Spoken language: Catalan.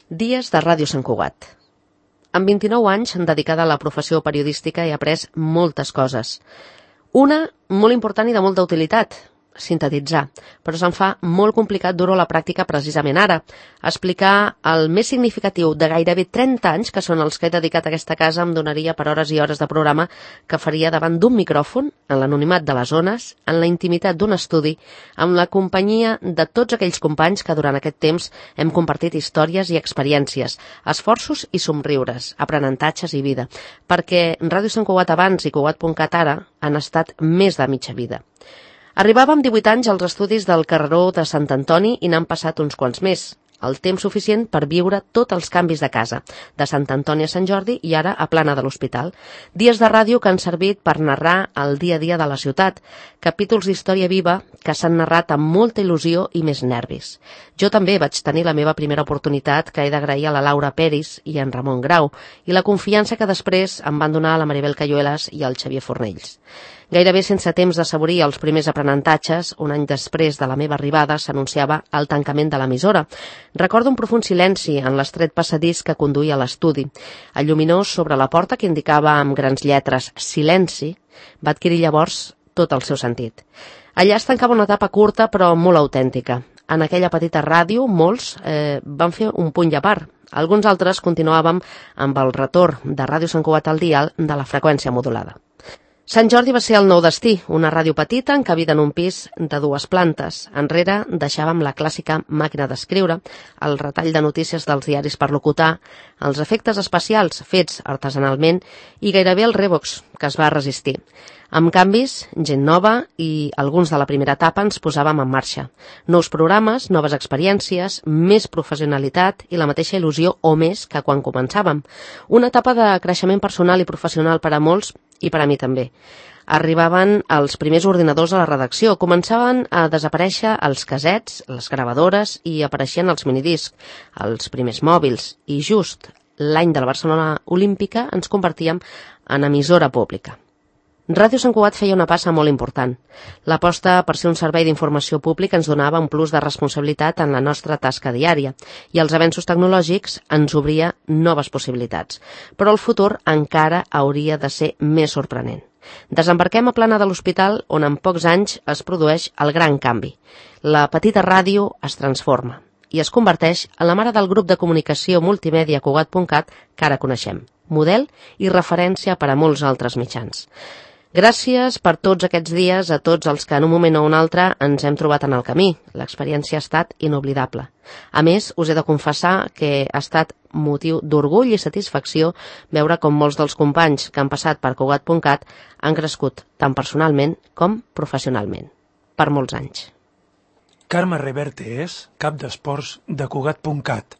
Dies de Ràdio Sant Cugat. Amb 29 anys dedicada a la professió periodística he après moltes coses. Una, molt important i de molta utilitat, sintetitzar, però se'm fa molt complicat dur-ho a la pràctica precisament ara. Explicar el més significatiu de gairebé 30 anys, que són els que he dedicat a aquesta casa, em donaria per hores i hores de programa que faria davant d'un micròfon, en l'anonimat de les zones, en la intimitat d'un estudi, amb la companyia de tots aquells companys que durant aquest temps hem compartit històries i experiències, esforços i somriures, aprenentatges i vida, perquè Ràdio Sant Cugat abans i Cugat.cat ara han estat més de mitja vida. Arribava amb 18 anys als estudis del carreró de Sant Antoni i n'han passat uns quants més. El temps suficient per viure tots els canvis de casa, de Sant Antoni a Sant Jordi i ara a Plana de l'Hospital. Dies de ràdio que han servit per narrar el dia a dia de la ciutat, capítols d'història viva que s'han narrat amb molta il·lusió i més nervis. Jo també vaig tenir la meva primera oportunitat, que he d'agrair a la Laura Peris i en Ramon Grau, i la confiança que després em van donar la Maribel Cayuelas i el Xavier Fornells. Gairebé sense temps d'assaborir els primers aprenentatges, un any després de la meva arribada s'anunciava el tancament de l'emissora. Recordo un profund silenci en l'estret passadís que conduïa a l'estudi. El lluminós sobre la porta que indicava amb grans lletres «Silenci» va adquirir llavors tot el seu sentit. Allà es tancava una etapa curta però molt autèntica. En aquella petita ràdio, molts van fer un punt i a part. Alguns altres continuàvem amb el retorn de Ràdio Sant Cugat al dial de la freqüència modulada. Sant Jordi va ser el nou destí, una ràdio petita encabida en un pis de 2 plantes. Enrere deixàvem la clàssica màquina d'escriure, el retall de notícies dels diaris per locutar, els efectes especials fets artesanalment i gairebé el Revox, que es va resistir. Amb canvis, gent nova i alguns de la primera etapa ens posàvem en marxa. Nous programes, noves experiències, més professionalitat i la mateixa il·lusió o més que quan començàvem. Una etapa de creixement personal i professional per a molts i per a mi també. Arribaven els primers ordinadors a la redacció, començaven a desaparèixer els casets, les gravadores i apareixien els minidiscs, els primers mòbils i just l'any de la Barcelona Olímpica ens convertíem en emissora pública. Ràdio Sant Cugat feia una passa molt important. L'aposta per ser un servei d'informació pública ens donava un plus de responsabilitat en la nostra tasca diària i els avenços tecnològics ens obria noves possibilitats. Però el futur encara hauria de ser més sorprenent. Desembarquem a Plana de l'Hospital, on en pocs anys es produeix el gran canvi. La petita ràdio es transforma i es converteix en la mare del grup de comunicació multimèdia Cugat.cat que ara coneixem, model i referència per a molts altres mitjans. Gràcies per tots aquests dies a tots els que en un moment o un altre ens hem trobat en el camí. L'experiència ha estat inoblidable. A més, us he de confessar que ha estat motiu d'orgull i satisfacció veure com molts dels companys que han passat per Cugat.cat han crescut tant personalment com professionalment. Per molts anys. Carme Reverte és cap d'esports de Cugat.cat.